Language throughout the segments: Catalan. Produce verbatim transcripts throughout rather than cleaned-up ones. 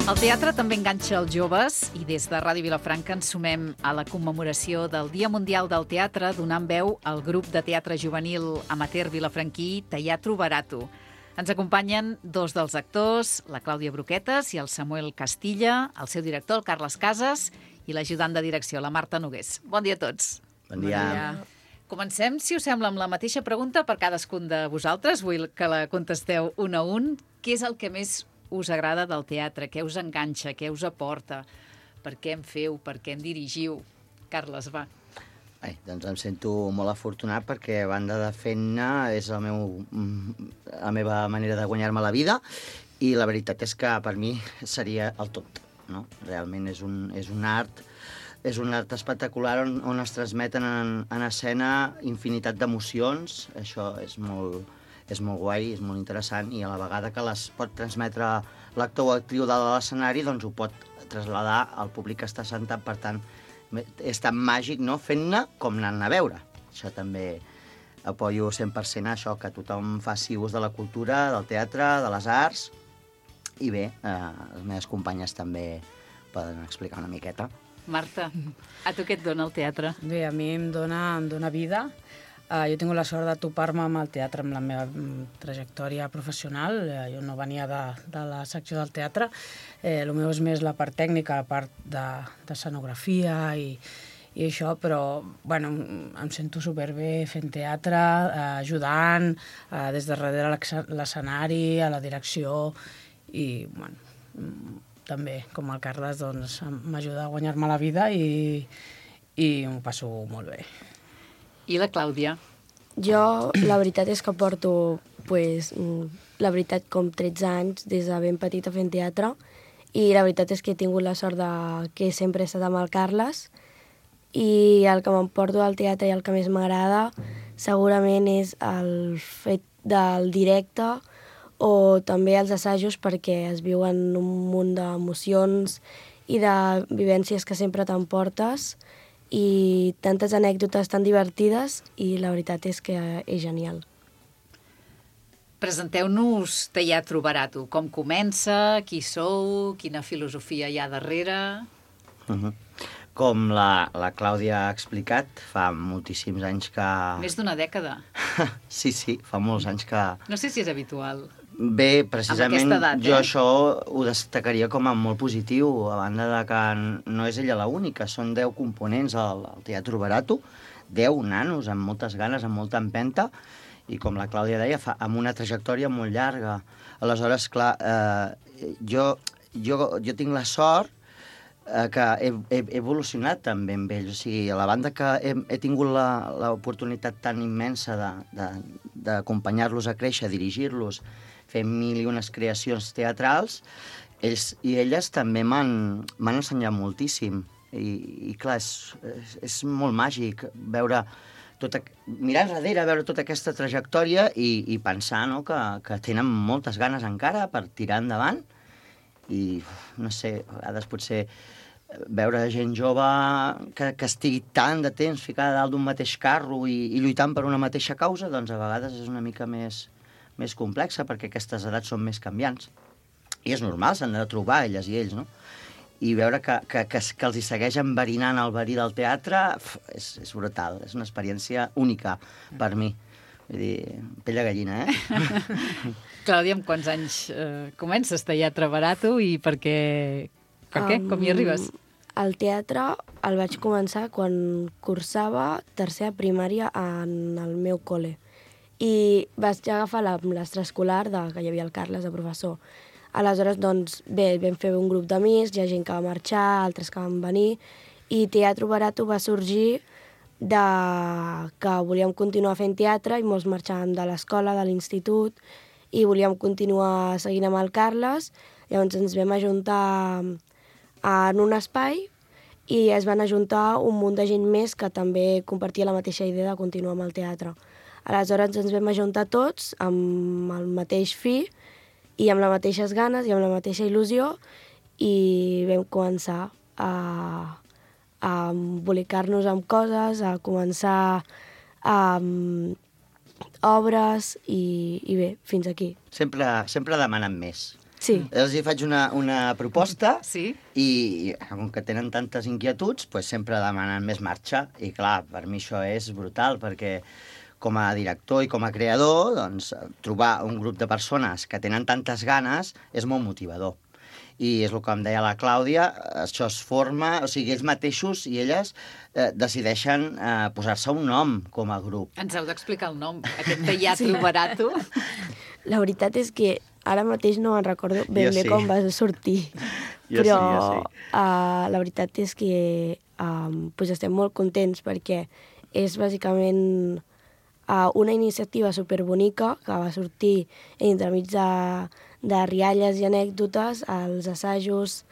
El teatre també enganxa els joves i des de Ràdio Vilafranca ens sumem a la commemoració del Dia Mundial del Teatre donant veu al grup de teatre juvenil amateur vilafranquí Teatro Barato. Ens acompanyen dos dels actors, la Clàudia Broquetas i el Samuel Castilla, el seu director, el Carles Casas, i l'ajudant de direcció, la Marta Nogués. Bon dia a tots. Bon dia. Bon dia. Comencem, si us sembla, amb la mateixa pregunta per cadascun de vosaltres. Vull que la contesteu un a un. Què és el que més us agrada del teatre? Què us enganxa? Què us aporta? Per què en feu? Per què en dirigiu? Carles, va. Ai, doncs em sento molt afortunat perquè, a banda de fer-ne, és el meu, la meva manera de guanyar-me la vida i la veritat és que per mi seria el tot, no? Realment és un, és un art és un art espectacular on, on es transmeten en, en escena infinitat d'emocions. Això és molt, és molt guai, és molt interessant i a la vegada que les pot transmetre l'actor o actriu de l'escenari, doncs ho pot traslladar al públic que està sentat, per tant, és tan màgic, no?, fent-ne com anant a veure. Això també apoyo cent per cent a això, que tothom faci ús de la cultura, del teatre, de les arts, i bé, eh, les meves companyes també poden explicar una miqueta. Marta, a tu què et dona el teatre? Bé, a mi em dona, em dona vida. Uh, jo he tingut la sort de topar-me amb el teatre, amb la meva mm, trajectòria professional. Uh, jo no venia de, de la secció del teatre. Eh, el meu és més la part tècnica, la part d'escenografia i, i això, però bueno, em sento superbé fent teatre, uh, ajudant, uh, des de darrere l'escenari, a la direcció, i bueno, també, com el Carles, doncs, m'ajuda a guanyar-me la vida i, i m'ho passo molt bé. I la Clàudia? Jo, la veritat és que porto, pues, la veritat, com tretze anys, des de ben petita fent teatre, i la veritat és que he tingut la sort de que sempre he estat amb el Carles, i el que m'emporto del teatre i el que més m'agrada segurament és el fet del directe o també els assajos, perquè es viuen un munt d'emocions i de vivències que sempre t'emportes, i tantes anècdotes tan divertides, i la veritat és que és genial. Presenteu-nos Teatro Barato. Com comença? Qui sou? Quina filosofia hi ha darrere? Uh-huh. Com la, la Clàudia ha explicat, fa moltíssims anys que... Més d'una dècada. Sí, sí, fa molts anys que... No sé si és habitual. Bé, precisament edat, jo eh? això ho destacaria com a molt positiu, a banda de que no és ella l'única, són deu components al, al Teatro Barato, deu nanos amb moltes ganes, amb molta empenta, i com la Clàudia deia, fa, amb una trajectòria molt llarga. Aleshores, clar, eh, jo, jo, jo tinc la sort eh, que he, he evolucionat també amb ells, o sigui, a la banda que he, he tingut l'oportunitat tan immensa d'acompanyar-los a créixer, dirigir-los, fer mil i unes creacions teatrals, ells i elles també m'han ensenyat moltíssim. I, i clar, és, és, és molt màgic veure tota, mirar enrere, veure tota aquesta trajectòria i, i pensar, no?, que, que tenen moltes ganes encara per tirar endavant. I, no sé, a vegades potser veure gent jove que, que estigui tant de temps ficada dalt d'un mateix carro i, i lluitant per una mateixa causa, doncs a vegades és una mica més... més complexa, perquè aquestes edats són més canviants. I és normal, s'han de trobar elles i ells, no? I veure que, que, que, que els hi segueix enverinant el verí del teatre, és, és brutal, és una experiència única per mi. Vull dir, pell de gallina, eh? Clàudia, amb quants anys eh, comences Teatre Barato i per què? Per què? Com hi arribes? El teatre el vaig començar quan cursava tercera primària en el meu col·le. I vaig agafar l'extraescolar de, que hi havia el Carles de professor. Aleshores, doncs, bé, vam fer un grup d'amics, hi ha gent que va marxar, altres que van venir, i Teatro Barato va sorgir de que volíem continuar fent teatre i molts marxàvem de l'escola, de l'institut, i volíem continuar seguint amb el Carles. Llavors ens vam ajuntar en un espai i es van ajuntar un munt de gent més que també compartia la mateixa idea de continuar amb el teatre. Aleshores ens vam ajuntar tots amb el mateix fi i amb les mateixes ganes i amb la mateixa il·lusió i vam començar a, a embolicar-nos amb coses, a començar amb obres i, i bé, fins aquí. Sempre, sempre demanen més. Sí. Els hi faig una, una proposta Sí? i, com que tenen tantes inquietuds, pues, sempre demanen més marxa. I, clar, per mi això és brutal, perquè com a director i com a creador, doncs, trobar un grup de persones que tenen tantes ganes és molt motivador. I és el que em deia la Clàudia, això es forma, o sigui, ells mateixos i elles eh, decideixen eh, posar-se un nom com a grup. Ens heu d'explicar el nom, aquest Teatro sí. Barato. La veritat és que ara mateix no me'n recordo ben Jo bé sí. com va sortir. Jo però sí, jo sí. Uh, la veritat és que um, pues estem molt contents perquè és bàsicament uh, una iniciativa superbonica que va sortir entremig de, de rialles i anècdotes als assajos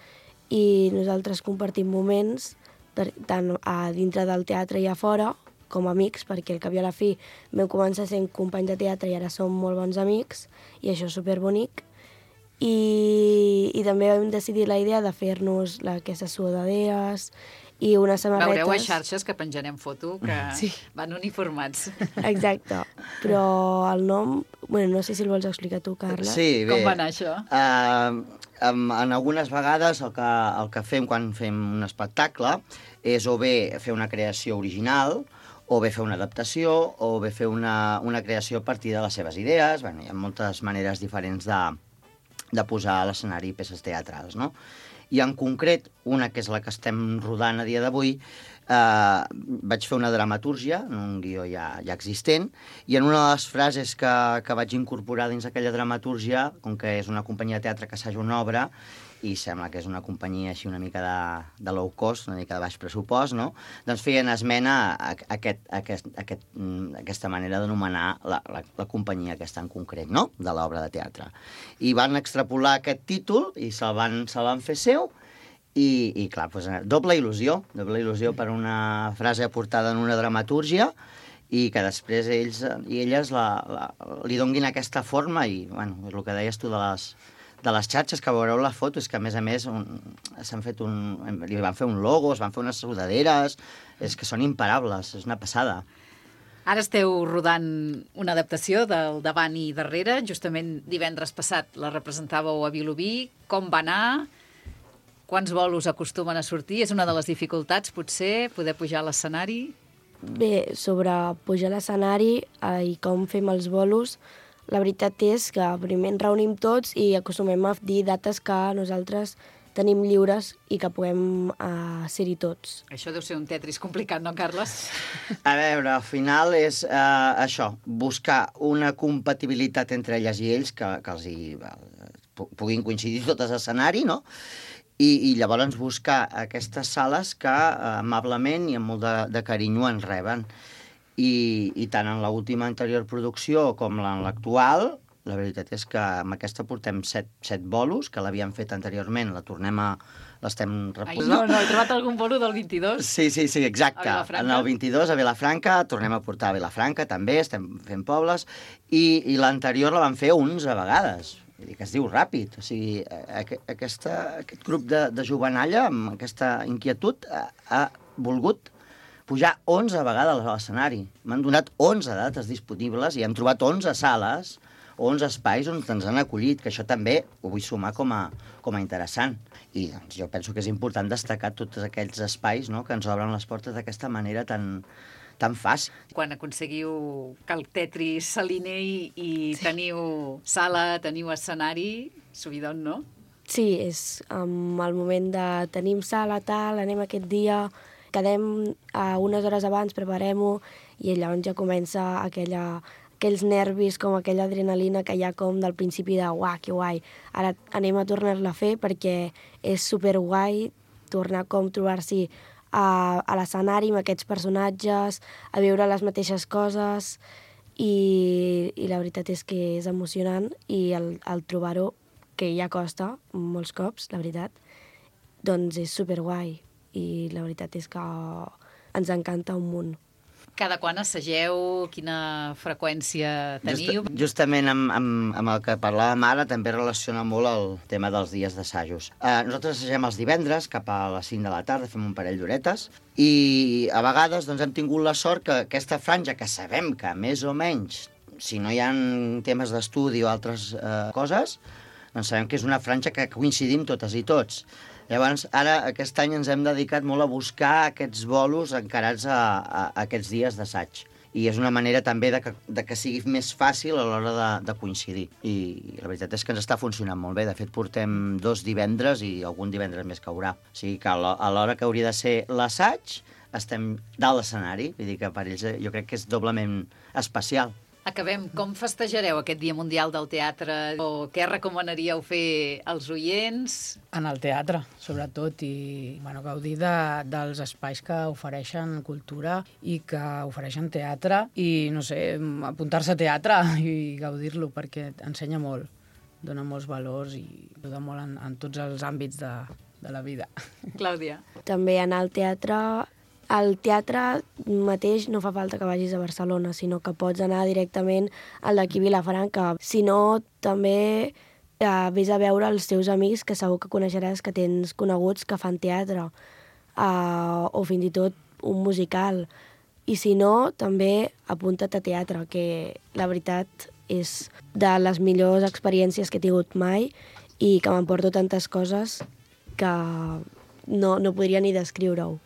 i nosaltres compartim moments de, tant a dintre del teatre i a fora com a amics, perquè al cap i a la fi vam començar sent companys de teatre i ara som molt bons amics i això és superbonic. I, i també vam decidir la idea de fer-nos la, aquestes sudaderes i unes samarretes... Veureu a xarxes que penjarem foto, que sí. van uniformats. Exacte, però el nom... Bueno, no sé si el vols explicar tu, Carla. Sí, bé. Com va anar això? Uh, en, en algunes vegades el que, el que fem quan fem un espectacle és o bé fer una creació original, o bé fer una adaptació, o bé fer una, una creació a partir de les seves idees. Bueno, hi ha moltes maneres diferents de, de posar a l'escenari peces teatrals, no? I en concret, una que és la que estem rodant a dia d'avui, eh, vaig fer una dramatúrgia, un guió ja, ja existent, i en una de les frases que, que vaig incorporar dins aquella dramatúrgia, com que és una companyia de teatre que assaja una obra, i sembla que és una companyia així una mica de, de low cost, una mica de baix pressupost, no? Doncs feien esmena a, a, aquest, a, aquest, a aquest, a aquesta manera d'anomenar la, la, la companyia aquesta en concret, no?, de l'obra de teatre. I van extrapolar aquest títol i se'l van, se van fer seu i, i clar, doncs, doble il·lusió, doble il·lusió per una frase aportada en una dramatúrgia i que després ells i elles la, la, li donguin aquesta forma i, bueno, és el que deies tu de les de les xarxes, que veureu les fotos, que a més a més s'han fet un... li van fer un logo, es van fer unes sudaderes, és que són imparables, és una passada. Ara esteu rodant una adaptació del Davant i Darrere, justament divendres passat la representàveu a Vilobí. Com va anar? Quants bolos acostumen a sortir? És una de les dificultats, potser, poder pujar a l'escenari? Bé, sobre pujar a l'escenari eh, i com fem els bolos, la veritat és que primer ens reunim tots i acostumem a dir dates que nosaltres tenim lliures i que puguem uh, ser-hi tots. Això deu ser un Tetris complicat, no, Carles? A veure, al final és uh, això, buscar una compatibilitat entre elles i ells que, que els hi, uh, puguin coincidir totes a escenari, no? I, i llavors buscar aquestes sales que uh, amablement i amb molt de, de carinyo ens reben. I, i tant en l'última anterior producció com en l'actual, la veritat és que amb aquesta portem set, set bolos, que l'havíem fet anteriorment, la tornem a... l'estem reposant. No, no, he trobat algun bolo del vint-i-dos. Sí, sí, sí, exacte. En el vint-i-dos a Vilafranca, tornem a portar a Vilafranca també, estem fent pobles, i, i l'anterior la vam fer onze vegades. Vull dir que es diu ràpid. O sigui, aqu aquesta, aquest grup de, de jovenalla, amb aquesta inquietud, ha, ha volgut pujar onze vegades a l'escenari. M'han donat onze dates disponibles i hem trobat onze sales, onze espais on ens han acollit, que això també ho vull sumar com a, com a interessant. I doncs, jo penso que és important destacar tots aquells espais, no?, que ens obren les portes d'aquesta manera tan, tan fàcil. Quan aconseguiu que el Tetris s'alinei i sí. teniu sala, teniu escenari, subidon, no? Sí, és um, el moment de tenim sala, tal, anem aquest dia... quedem uh, unes hores abans, preparem-ho, i llavors ja comença aquella, aquells nervis, com aquella adrenalina que hi ha com del principi de uah, que guai, ara anem a tornar-la a fer perquè és superguai tornar com trobar-s'hi a, a l'escenari amb aquests personatges, a viure les mateixes coses, i, i la veritat és que és emocionant, i el, el trobar-ho, que ja costa molts cops, la veritat, doncs és superguai. I la veritat és que ens encanta un munt. Cada quan assageu? Quina freqüència teniu? Just, justament amb, amb, amb el que parlàvem ara també relaciona molt el tema dels dies d'assajos. Eh, nosaltres assagem els divendres cap a les cinc de la tarda, fem un parell d'horetes, i a vegades doncs, hem tingut la sort que aquesta franja, que sabem que més o menys, si no hi ha temes d'estudi o altres eh, coses, doncs sabem que és una franja que coincidim totes i tots. Llavors, ara, aquest any ens hem dedicat molt a buscar aquests bolos encarats a, a, a aquests dies d'assaig. I és una manera també de que, de que sigui més fàcil a l'hora de, de coincidir. I la veritat és que ens està funcionant molt bé. De fet, portem dos divendres i algun divendres més caurà. O sigui que a l'hora que hauria de ser l'assaig, estem dalt l'escenari. Vull dir que per ells jo crec que és doblement especial. Acabem. Com festejareu aquest Dia Mundial del Teatre? O què recomanaríeu fer als oients? En el teatre, sobretot, i bueno, gaudir de, dels espais que ofereixen cultura i que ofereixen teatre i, no sé, apuntar-se a teatre i gaudir-lo, perquè ensenya molt, dona molts valors i ajuda molt en, en tots els àmbits de, de la vida. Clàudia. També anar al teatre. Al teatre mateix no fa falta que vagis a Barcelona, sinó que pots anar directament al d'aquí Vilafranca. Si no, també eh, vés a veure els teus amics, que segur que coneixeràs, que tens coneguts que fan teatre, eh, o fins i tot un musical. I si no, també apunta't a teatre, que la veritat és de les millors experiències que he tingut mai i que m'emporto tantes coses que no, no podria ni descriure-ho.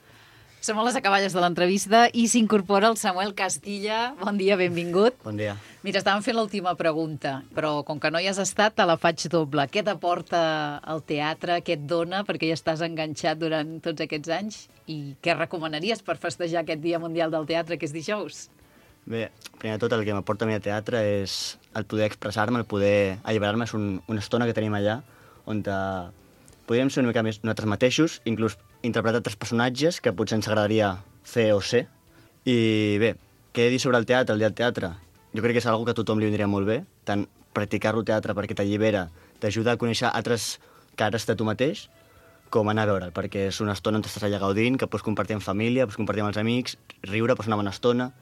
Som a les acaballes de l'entrevista i s'incorpora el Samuel Castilla. Bon dia, benvingut. Bon dia. Mira, estàvem fent l'última pregunta, però com que no hi has estat, te la faig doble. Què t'aporta el teatre? Què et dona? Perquè ja estàs enganxat durant tots aquests anys. I què recomanaries per festejar aquest Dia Mundial del Teatre, que és dijous? Bé, primer de tot, el que m'aporta a mi a teatre és el poder expressar-me, el poder alliberar-me. És un, una estona que tenim allà on te... podríem ser una mica més nosaltres mateixos, inclús interpretar altres personatges que potser ens agradaria fer o ser. I bé, què he de dir sobre el teatre, el dia del teatre? Jo crec que és una que a tothom li vindria molt bé, tant practicar-lo teatre perquè t'allibera, t'ajuda a conèixer altres cares de tu mateix, com anar a veure'l, perquè és una estona on estàs allà gaudint, que pots compartir amb família, pots compartir amb els amics, riure, passar una bona estona,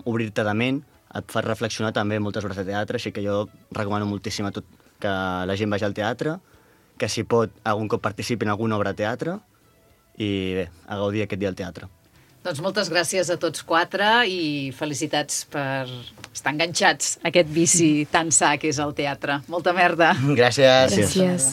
obrir-te de ment, et fa reflexionar també moltes hores de teatre, així que jo recomano moltíssim a tot que la gent vagi al teatre, que si pot algun cop participi en alguna obra de teatre i bé, a gaudir aquest dia al teatre. Doncs moltes gràcies a tots quatre i felicitats per estar enganxats a aquest vici tan sa que és el teatre. Molta merda. Gràcies. Gràcies.